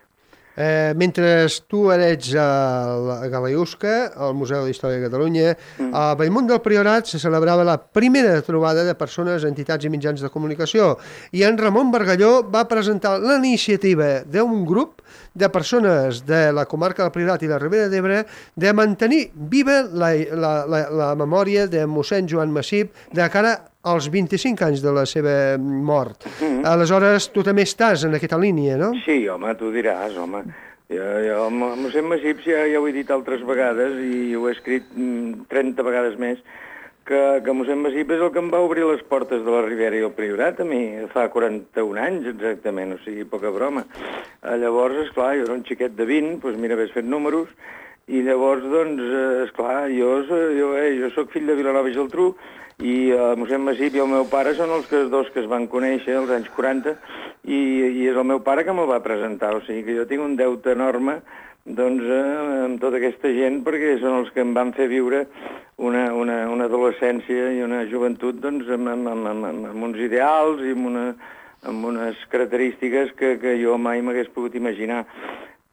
Mentre tu eres a Galaiusca, al Museu d'Història de Catalunya, a Bellmunt del Priorat se celebrava la primera trobada de persones, entitats i mitjans de comunicació, i en Ramon Bargalló va presentar la iniciativa d'un grup de persones de la comarca del Priorat i la Ribera d'Ebre de mantenir viva la memòria de mossèn Joan Masip de cara als 25 anys de la seva mort. Aleshores, tu també estàs en aquesta línia, no? Sí, home, tu diràs, home. Jo mossèn Masip ja ho he dit altres vegades i ho he escrit 30 vegades més, que mossèn Masip és el que em va obrir les portes de la Ribera i el Priorat a mi fa 41 anys exactament, o sigui, poca broma. Llavors, esclar, jo era un xiquet de 20, doncs mira, ves fet números, i llavors, doncs, esclar, jo soc fill de Vilanova i Geltrú, i mossèn Masip i el meu pare són els dos que es van conèixer als anys 40 i és el meu pare que me'l va presentar, o sigui que jo tinc un deute enorme doncs, amb tota aquesta gent perquè són els que em van fer viure una adolescència i una joventut doncs, amb uns ideals i amb unes característiques que jo mai m'hagués pogut imaginar.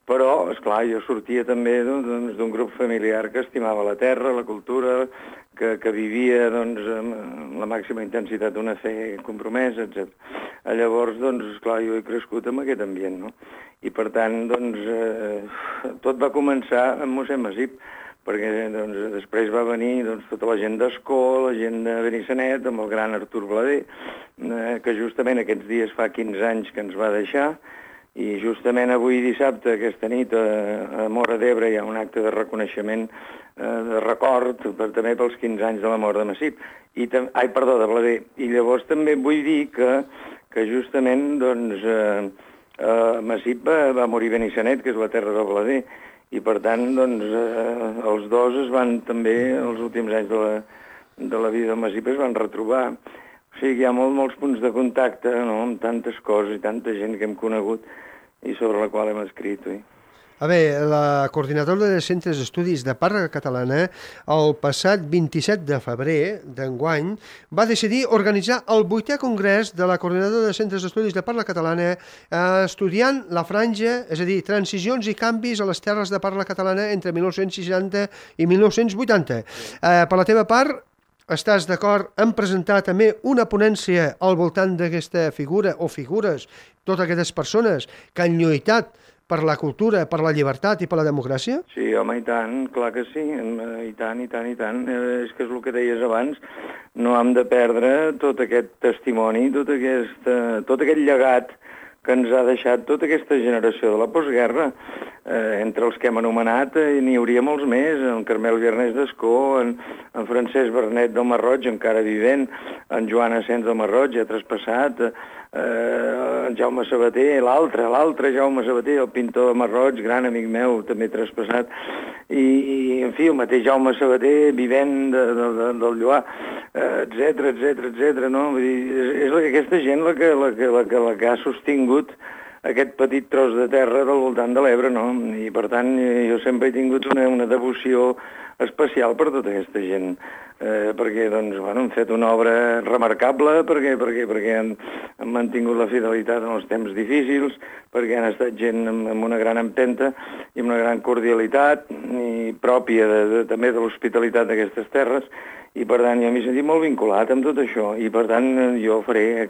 Però, esclar, jo sortia també d'un grup familiar que estimava la terra, la cultura, que vivia doncs, amb la màxima intensitat d'una fe compromesa, etc. Llavors, doncs, esclar, jo he crescut en aquest ambient, no? I, per tant, doncs, tot va començar amb mossèn Masip, perquè doncs, després va venir doncs, tota la gent d'Escó, la gent de Benissanet, amb el gran Artur Blader, que justament aquests dies fa 15 anys que ens va deixar, i justament avui dissabte, aquesta nit, a Móra d'Ebre hi ha un acte de reconeixement, de record, també pels 15 anys de la mort de Masip. De Blader. I llavors també vull dir que justament doncs, Masip va morir a Benissanet, que és la terra del Blader, i per tant doncs, els dos es van també, els últims anys de la vida del Masip, es van retrobar. O sigui, hi ha molts punts de contacte, no?, amb tantes coses i tanta gent que hem conegut i sobre la qual hem escrit. A veure, la coordinadora de centres d'estudis de parla catalana el passat 27 de febrer d'enguany va decidir organitzar el 8è congrés de la coordinadora de centres d'estudis de parla catalana estudiant la franja, és a dir, transicions i canvis a les terres de parla catalana entre 1960 i 1980. Per la teva part, estàs d'acord en presentar també una ponència al voltant d'aquesta figura o figures, totes aquestes persones que han lluitat per la cultura, per la llibertat i per la democràcia? Sí, home, i tant, clar que sí, i tant. És que és el que deies abans, no hem de perdre tot aquest testimoni, tot aquest llegat que ens ha deixat tota aquesta generació de la postguerra. Entre els que hem anomenat n'hi hauria molts més, en Carmel Viernès d'Escó, en Francesc Bernet del Masroig, encara vivent, en Joan Asens del Masroig, ja traspassat, en Jaume Sabater, l'altre Jaume Sabater, el pintor de Masroig, gran amic meu, també traspassat, i en fi, el mateix Jaume Sabater, vivent del Lloar, etc, no? Vull dir, és aquesta gent la que ha sostingut aquest petit tros de terra del voltant de l'Ebre, no? I per tant jo sempre he tingut una devoció especial per tota aquesta gent, perquè doncs, bueno, han fet una obra remarcable, perquè han mantingut la fidelitat en els temps difícils, perquè han estat gent amb una gran empenta i amb una gran cordialitat i pròpia també de l'hospitalitat d'aquestes terres, i per tant jo m'he sentit molt vinculat amb tot això, i per tant jo faré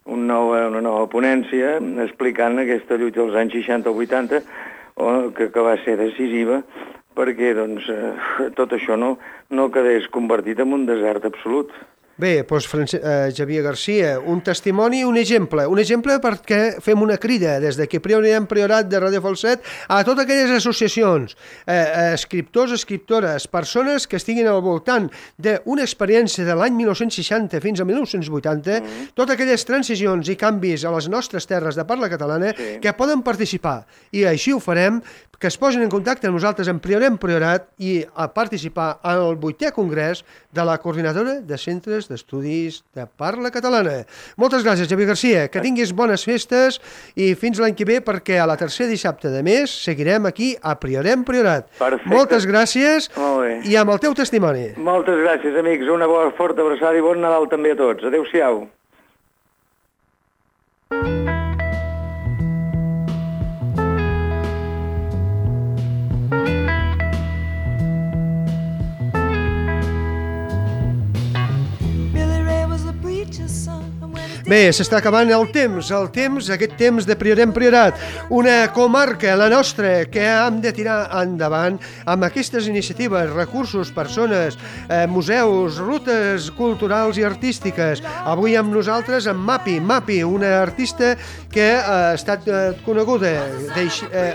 una nova ponència explicant aquesta lluita dels anys 60 o 80 que va ser decisiva perquè doncs, tot això no quedés convertit en un desert absolut. Bé, doncs Xavier Garcia, un testimoni, un exemple perquè fem una crida des d'aquí Priorat de Ràdio Falset a totes aquelles associacions, escriptors, escriptores, persones que estiguin al voltant d'una experiència de l'any 1960 fins a 1980, totes aquelles transicions i canvis a les nostres terres de parla catalana que poden participar, i així ho farem, que es posin en contacte amb nosaltres en Priorat i a participar al 8è Congrés de la Coordinadora de Centres d'Estudis de Parla Catalana. Moltes gràcies, Xavier Garcia, que tinguis bones festes i fins l'any que ve, perquè a la tercer dissabte de mes seguirem aquí a Priorat. Perfecte. Moltes gràcies. Molt bé. I amb el teu testimoni. Moltes gràcies, amics. Una bona forta abraçada i bon Nadal també a tots. Adéu-siau. Bé, s'està acabant el temps, aquest temps de Priorat, una comarca, la nostra, que hem de tirar endavant amb aquestes iniciatives, recursos, persones, museus, rutes culturals i artístiques. Avui amb nosaltres amb Mapi, una artista que ha estat coneguda,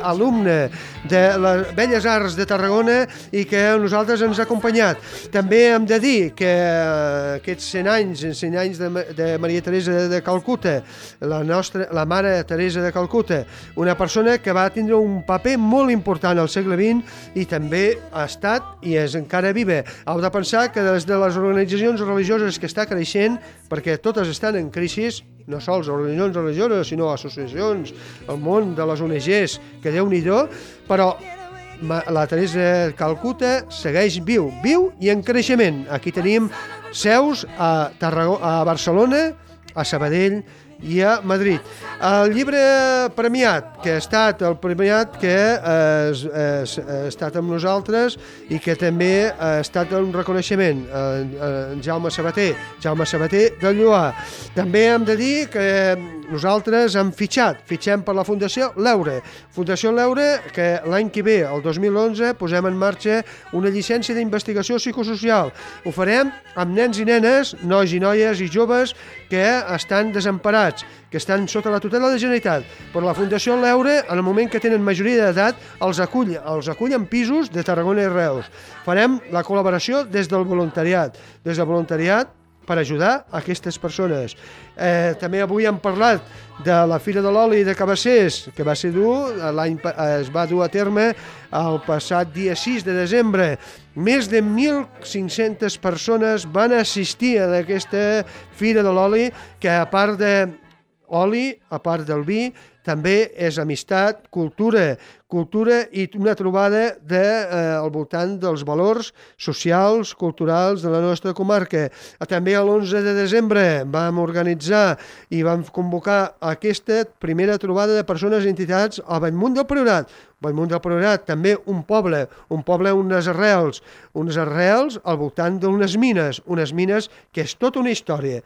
alumne de les Belles Arts de Tarragona i que a nosaltres ens ha acompanyat. També hem de dir que aquests 100 anys de Maria Teresa de Calcuta, la mare Teresa de Calcuta, una persona que va tindre un paper molt important al segle XX i també ha estat i és encara viva. Heu de pensar que des de les organitzacions religioses que està creixent, perquè totes estan en crisi, no sols organitzacions religioses, sinó associacions, el món de les ONGs, que Déu-n'hi-do, però la Teresa de Calcuta segueix viu i en creixement. Aquí tenim seus a Barcelona, a Sabadell i a Madrid. El llibre premiat, que ha estat el premiat que ha estat amb nosaltres i que també ha estat un reconeixement, Jaume Sabater de Lloar. També hem de dir que nosaltres hem fitxem per la Fundació L'Eure, que l'any que ve, el 2011, posem en marxa una llicència d'investigació psicosocial. Ho farem amb nens i nenes, nois i noies i joves que estan desemparats, que estan sota la tutela de la Generalitat. Però la Fundació L'Eure, en el moment que tenen majoria d'edat, els acull en pisos de Tarragona i Reus. Farem la col·laboració des del voluntariat, per ajudar aquestes persones. També avui hem parlat de la Fira de l'Oli de Cabassers, que es va dur a terme el passat dia 6 de desembre. Més de 1.500 persones van assistir a aquesta Fira de l'Oli, que a part d'oli, a part del vi, també és amistat, cultura i una trobada al voltant dels valors socials, culturals de la nostra comarca. També l'11 de desembre vam organitzar i vam convocar aquesta primera trobada de persones i entitats a Bellmunt del Priorat. Bellmunt del Priorat, també un poble, unes arrels al voltant d'unes mines que és tota una història,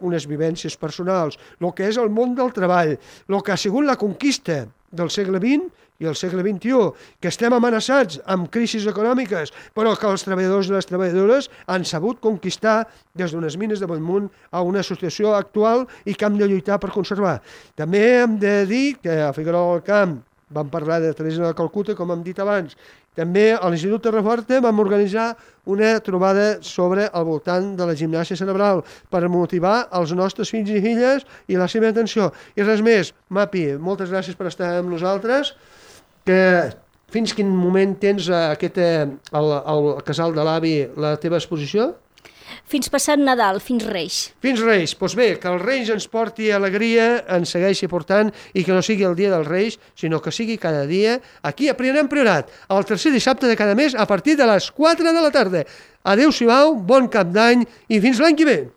unes vivències personals, el que és el món del treball, el que ha sigut la conquista del segle XX i el segle XXI, que estem amenaçats amb crisis econòmiques, però que els treballadors i les treballadores han sabut conquistar des d'unes mines de Bellmunt a una situació actual i que hem de lluitar per conservar. També hem de dir que a Figuerola del Camp vam parlar de Teresa de Calcuta, com hem dit abans. També a l'Institut Terraforta vam organitzar una trobada sobre al voltant de la gimnàsia cerebral per motivar els nostres fills i filles i la seva atenció. I res més, Mapi, moltes gràcies per estar amb nosaltres. Fins quin moment tens al casal de l'avi la teva exposició? Fins passat Nadal, fins Reis. Fins Reis. Doncs bé, que el Reis ens porti alegria, ens segueixi portant i que no sigui el dia dels Reis, sinó que sigui cada dia aquí a Priorat, el tercer dissabte de cada mes a partir de les 4 de la tarda. Adéu-siau, bon cap d'any i fins l'any que ve.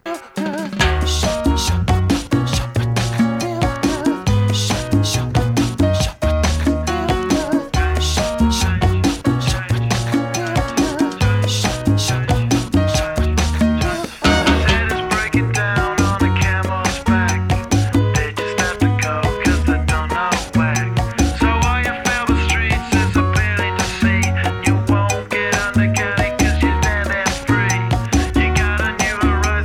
You gotta new arrival.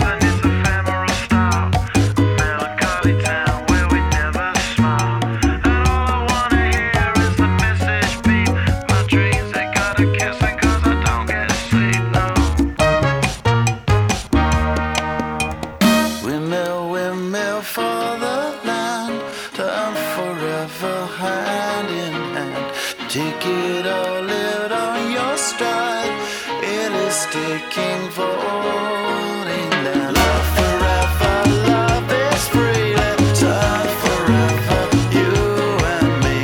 Take it or live it on your stride. It is taking falling down. Love forever, love is free. Let's love forever, you and me.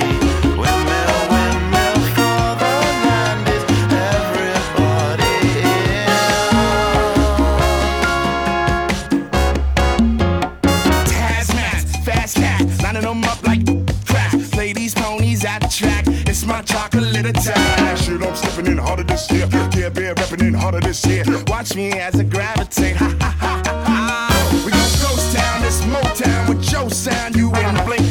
Windmill, windmill for the land is everybody in. Hazmat, fast cat, lining them up like crack. Play these ponies at the track. It's my chocolate attack. Shit, I'm stepping in harder this year. Care Bear repping in harder this year. Watch me as I gravitate. Ha ha ha ha ha. We gon' ghost town, this Motown with your sound. You in the blink